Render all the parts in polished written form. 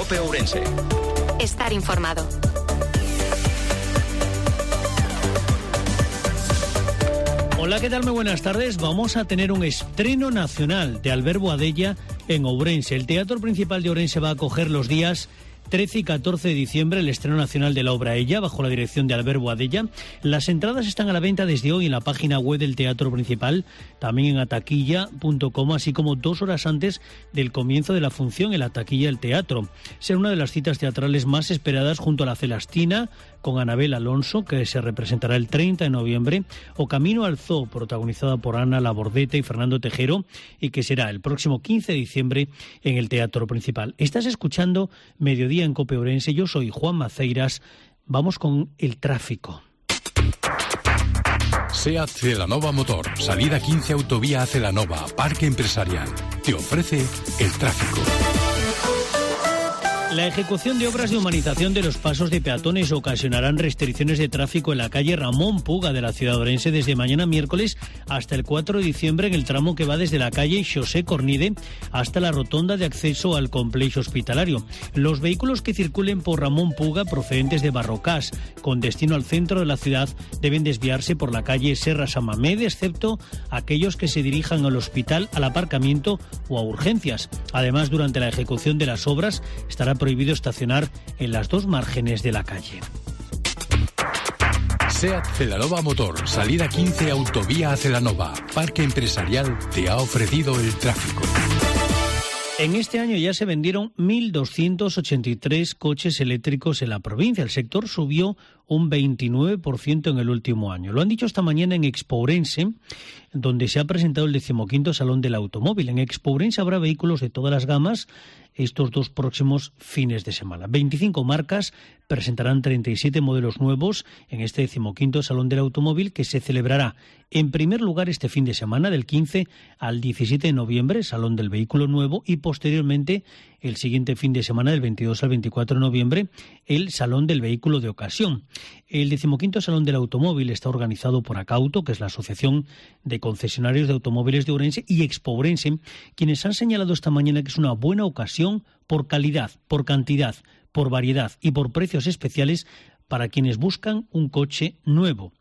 COPE Ourense. Estar informado. Hola, ¿qué tal? Muy buenas tardes. Vamos a tener un estreno nacional de Albert Boadella en Ourense. El Teatro Principal de Ourense va a acoger los días 13 y 14 de diciembre el estreno nacional de la obra Ella, bajo la dirección de Albert Boadella. Las entradas están a la venta desde hoy en la página web del Teatro Principal, también en ataquilla.com, así como 2 horas antes del comienzo de la función en la taquilla del teatro. Será una de las citas teatrales más esperadas junto a La Celastina, con Anabel Alonso, que se representará el 30 de noviembre, o Camino al Zoo, protagonizada por Ana Labordeta y Fernando Tejero, y que será el próximo 15 de diciembre en el Teatro Principal. Estás escuchando Mediodía en COPE Ourense. Yo soy Juan Maceiras. Vamos con el tráfico. SEAT Celanova Motor, salida 15 Autovía a Celanova, Parque Empresarial. Te ofrece el tráfico. La ejecución de obras de humanización de los pasos de peatones ocasionarán restricciones de tráfico en la calle Ramón Puga de la ciudad de Ourense desde mañana miércoles hasta el 4 de diciembre en el tramo que va desde la calle José Cornide hasta la rotonda de acceso al complejo hospitalario. Los vehículos que circulen por Ramón Puga procedentes de Barrocás con destino al centro de la ciudad deben desviarse por la calle Serra San Mamede, excepto aquellos que se dirijan al hospital, al aparcamiento o a urgencias. Además, durante la ejecución de las obras estará prohibido estacionar en las 2 márgenes de la calle. SEAT Celanova Motor, salida 15 Autovía a Celanova, Parque Empresarial, te ha ofrecido el tráfico. En este año ya se vendieron 1.283 coches eléctricos en la provincia. El sector subió un 29% en el último año. Lo han dicho esta mañana en Expo Ourense, donde se ha presentado el 15º Salón del Automóvil. En Expo Ourense habrá vehículos de todas las gamas estos 2 próximos fines de semana. 25 marcas presentarán 37 modelos nuevos en este 15º Salón del Automóvil, que se celebrará en primer lugar este fin de semana, del 15 al 17 de noviembre, Salón del Vehículo Nuevo, y posteriormente el siguiente fin de semana, del 22 al 24 de noviembre, el Salón del Vehículo de Ocasión. El 15º Salón del Automóvil está organizado por Acauto, que es la Asociación de Concesionarios de Automóviles de Ourense, y Expo Ourense, quienes han señalado esta mañana que es una buena ocasión por calidad, por cantidad, por variedad y por precios especiales para quienes buscan un coche nuevo.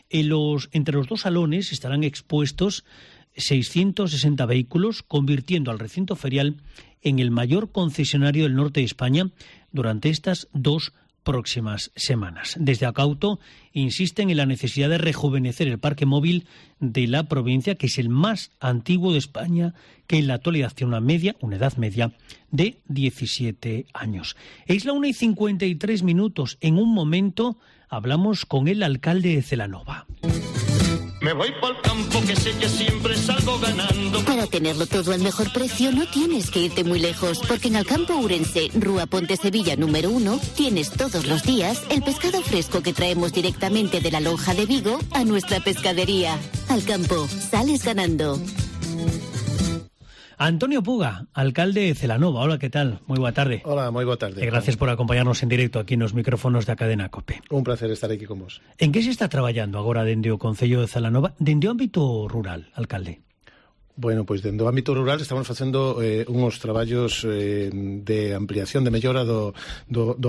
Entre los 2 salones estarán expuestos 660 vehículos, convirtiendo al recinto ferial en el mayor concesionario del norte de España durante estas 2 próximas semanas. Desde Acauto insisten en la necesidad de rejuvenecer el parque móvil de la provincia, que es el más antiguo de España, que en la actualidad tiene una edad media de 17 años. Es la 1:53. En un momento hablamos con el alcalde de Celanova. Me voy pa'l campo que sé que siempre salgo ganando. Para tenerlo todo al mejor precio no tienes que irte muy lejos, porque en Alcampo Ourense, Rúa Ponte Sevilla número 1, tienes todos los días el pescado fresco que traemos directamente de la lonja de Vigo a nuestra pescadería. Alcampo, sales ganando. Antonio Puga, alcalde de Celanova. Hola, ¿qué tal? Muy buena tarde. Hola, muy buena tarde. Gracias por acompañarnos en directo aquí en los micrófonos da Cadena COPE. Un placer estar aquí con vos. En que se está traballando agora dende o Concello de Celanova, dende o ámbito rural, alcalde? Bueno, pois dentro do ámbito rural estamos facendo uns traballos de ampliación, de mellora do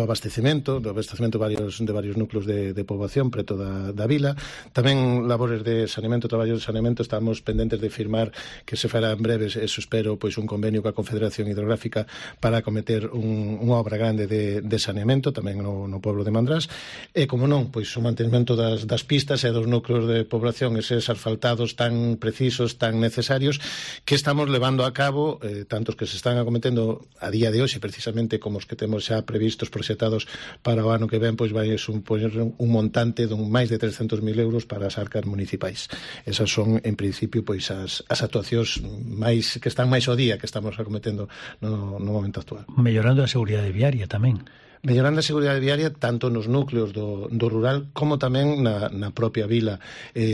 abastecemento de varios núcleos de poboación preto da vila. Tamén labores de saneamento, traballos de saneamento. Estamos pendentes de firmar, que se fará en breves, eso espero, pois un convenio coa Confederación Hidrográfica para acometer unha obra grande de saneamento tamén no pueblo de Mandrás. E, como non, pois o mantenimento das pistas e dos núcleos de población, eses asfaltados tan precisos, tan necesarios, que estamos levando a cabo, tantos que se están acometendo a día de hoxe, precisamente como os que temos xa previstos, proxectados para o ano que ven, pois vai supoñer un montante de máis de 300.000 euros para as arcas municipais. Esas son, en principio, pois as actuacións máis que están máis ao día que estamos acometendo no momento actual. Mellorando a seguridade viaria tamén. Mellorando a seguridade viaria tanto nos núcleos do rural como tamén na propia vila,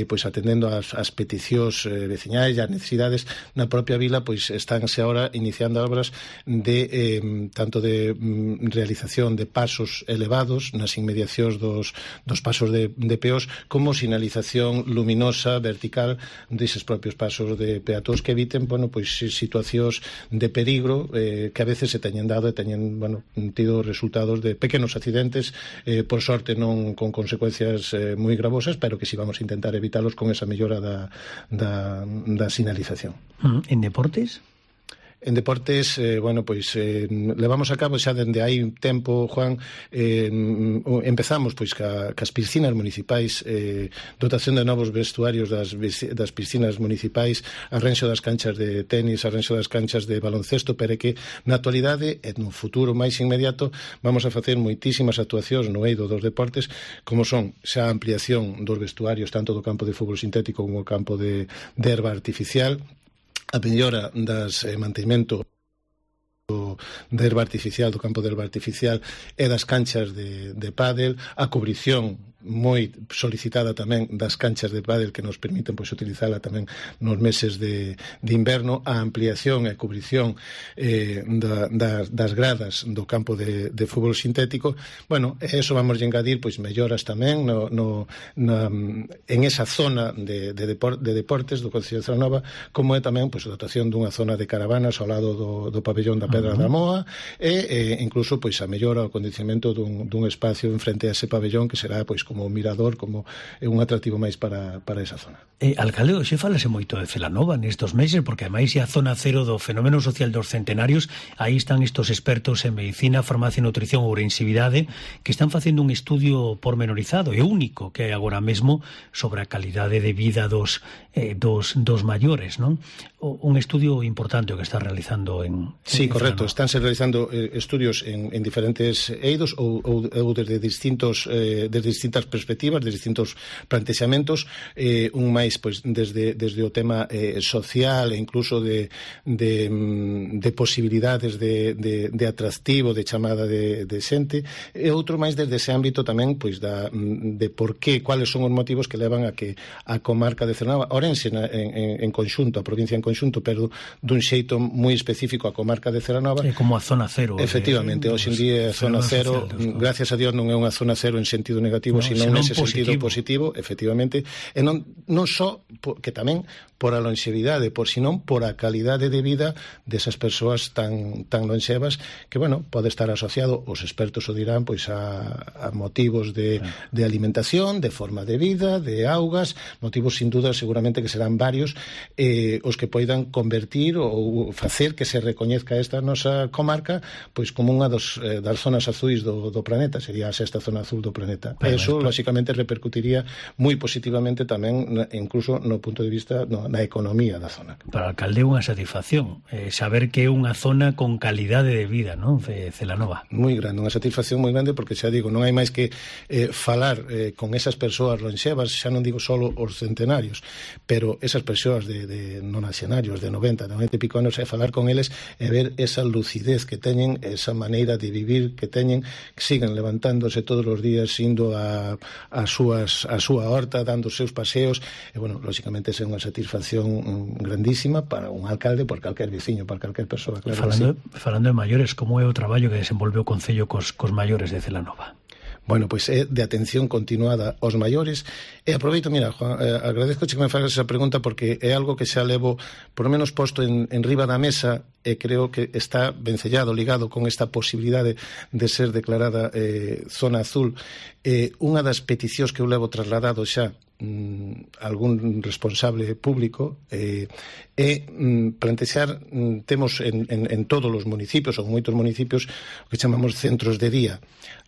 pois atendendo as peticións veciñais e as necesidades na propia vila, pois estánse agora iniciando obras de tanto de realización de pasos elevados nas inmediacións dos pasos de peós, como sinalización luminosa vertical deses propios pasos de peatóns que eviten, bueno, pois situacións de peligro que a veces se teñen dado e teñen, bueno, tido resultados de pequenos accidentes, por sorte non con consecuencias moi gravosas, pero que si vamos a intentar evitarlos con esa mellora da sinalización. En deportes? En deportes, bueno, pois levamos a cabo xa dende hai un tempo, Juan, empezamos pois cas piscinas municipais, dotación de novos vestuarios das piscinas municipais, arranxo das canchas de tenis, arranxo das canchas de baloncesto, pero que na actualidade e no futuro máis inmediato vamos a facer moitísimas actuacións no eido dos deportes, como son xa a ampliación dos vestuarios tanto do campo de fútbol sintético como o campo de herba artificial, a mellora das mantemento de herba artificial, do campo de herba artificial e das canchas de pádel, a cubrición moi solicitada tamén das canchas de pádel que nos permiten pois utilizala tamén nos meses de inverno, a ampliación e cubrición das gradas do campo de fútbol sintético. Bueno, eso vamos a engadir pois melloras tamén en esa zona de deportes do Concello de Celanova, como é tamén pois a dotación dunha zona de caravanas ao lado do pabellón da Pedra da Moa e incluso pois a mellora o acondicionamento dun espacio en frente a ese pabellón que será pois como un mirador, como un atractivo máis para esa zona. Alcalde, xe falase moito de Celanova nestos meses, porque ademais é a zona cero do fenómeno social dos centenarios. Aí están estos expertos en medicina, farmacia, nutrición ou orensividade que están facendo un estudio pormenorizado e único que hai agora mesmo sobre a calidade de vida dos maiores, non? Un estudio importante o que está realizando en Sí, correcto, estánse realizando estudios en diferentes eidos ou desde distintas perspectivas, de distintos plantexamentos, un máis pois desde o tema social e incluso de posibilidades de atractivo, de chamada de xente, e outro máis desde ese ámbito tamén pois de por qué, cuáles son os motivos que levan a que a comarca de Celanova, Ourense en conxunto, a provincia en conxunto, pero dun xeito moi específico a comarca de Celanova. Como a zona cero. Efectivamente, hoxe en día a zona cero, gracias a Dios, non é unha zona cero en sentido negativo, sino nese sentido positivo, efectivamente, e non só que tamén por a longevidade, senón por a calidade de vida desas persoas tan lonxevas que, bueno, pode estar asociado, os expertos o dirán, pois a motivos de alimentación, de forma de vida, de augas, motivos sin duda seguramente que serán varios, os que poidan convertir ou facer que se recoñezca esta nosa comarca pois como unha das zonas azuis do planeta, sería a sexta zona azul do planeta. Eso, lóxicamente, repercutiría moi positivamente tamén, incluso no punto de vista na economía da zona. Para o alcalde é unha satisfacción saber que é unha zona con calidade de vida, non, de Celanova. Moi grande, unha satisfacción moi grande, porque xa digo, non hai máis que falar con esas persoas lonxevas, xa non digo solo os centenarios, pero esas persoas de nonaxenarios, de 90 e pico anos, falar con eles e ver esa lucidez que teñen, esa maneira de vivir que teñen, que siguen levantándose todos os días, indo a súa horta, dando os seus paseos, e, bueno, lóxicamente é unha satisfacción grandísima para un alcalde, por calquer veciño, para calquer persoa, claro. Falando de maiores, como é o traballo que desenvolve o Concello cos maiores de Celanova? Bueno, pois é de atención continuada aos maiores, e aproveito, mira, Juan, agradezco que me fagas esa pregunta, porque é algo que xa levo por lo menos posto en riba da mesa, e creo que está vencellado, ligado con esta posibilidade de ser declarada zona azul. Unha das peticións que eu levo trasladado xa algún responsable público é plantexar, temos en todos os municipios ou moitos municipios o que chamamos centros de día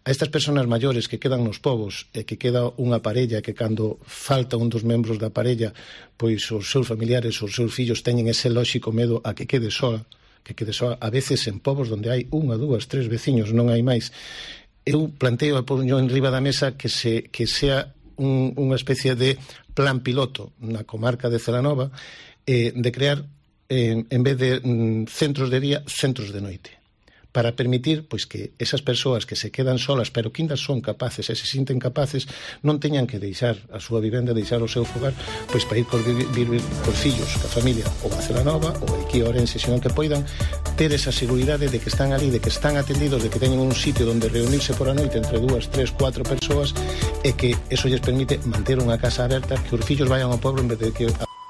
a estas persoas maiores que quedan nos povos e que queda unha parella que cando falta un dos membros da parella, pois os seus familiares, os seus fillos teñen ese lóxico medo a que quede soa, a veces en povos onde hai 1, 2, 3 veciños, non hai máis. Eu planteo e poño en riba da mesa que sea unha especie de plan piloto na comarca de Celanova, de crear, en vez de centros de día, centros de noite, para permitir pois que esas persoas que se quedan solas pero que ainda son capaces e se sinten capaces non teñan que deixar a súa vivenda, deixar o seu fogar pois para ir vivir cos fillos, ca familia ou a Celanova ou aquí a Ourense, senón que poidan ter esa seguridade de que están ali, de que están atendidos, de que teñen un sitio onde reunirse por a noite entre 2, 3, 4 persoas e que eso lles permite manter unha casa aberta, que os fillos vayan ao pueblo en vez de que